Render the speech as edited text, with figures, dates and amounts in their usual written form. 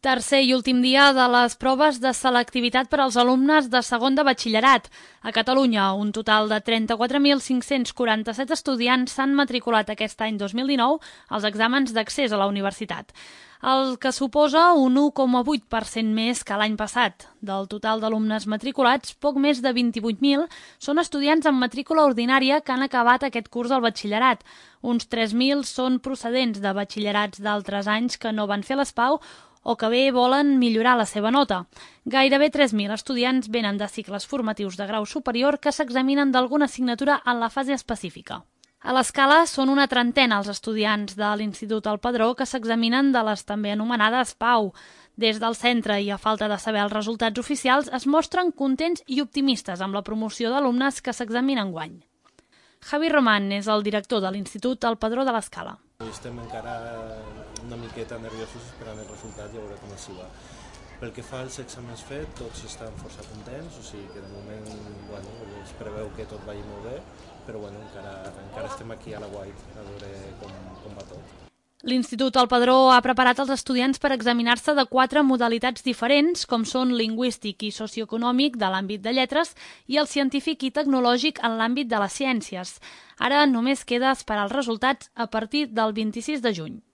Tercer i últim dia de les proves de selectivitat per als alumnes de segon de batxillerat. A Catalunya, un total de 34.547 estudiants s'han matriculat aquest any 2019 als exàmens d'accés a la universitat, el que suposa un 1,8% més que l'any passat. Del total d'alumnes matriculats, poc més de 28.000 són estudiants amb matrícula ordinària que han acabat aquest curs al batxillerat. Uns 3.000 són procedents de batxillerats d'altres anys que no van fer les PAU o que bé volen millorar la seva nota. Gairebé 3.000 estudiants venen de cicles formatius de grau superior que s'examinen d'alguna assignatura en la fase específica. A l'escala són una trentena els estudiants de l'Institut El Padró que s'examinen de les també anomenades PAU. Des del centre i a falta de saber els resultats oficials es mostren contents i optimistes amb la promoció d'alumnes que s'examinen enguany. Javi Román és el director de l'Institut El Padró de l'Escala. Estem encara una miqueta nerviosos esperant el resultat i a veure com els va. Pel que fa als exàmens fets, tots estan força contents, o sigui que de moment es preveu que tot vagi molt bé, però encara estem aquí a la White a veure com va tot. L'Institut El Padró ha preparat els estudiants per examinar-se de 4 modalitats diferents, com són lingüístic i socioeconòmic de l'àmbit de lletres i el científic i tecnològic en l'àmbit de les ciències. Ara només queda esperar els resultats a partir del 26 de juny.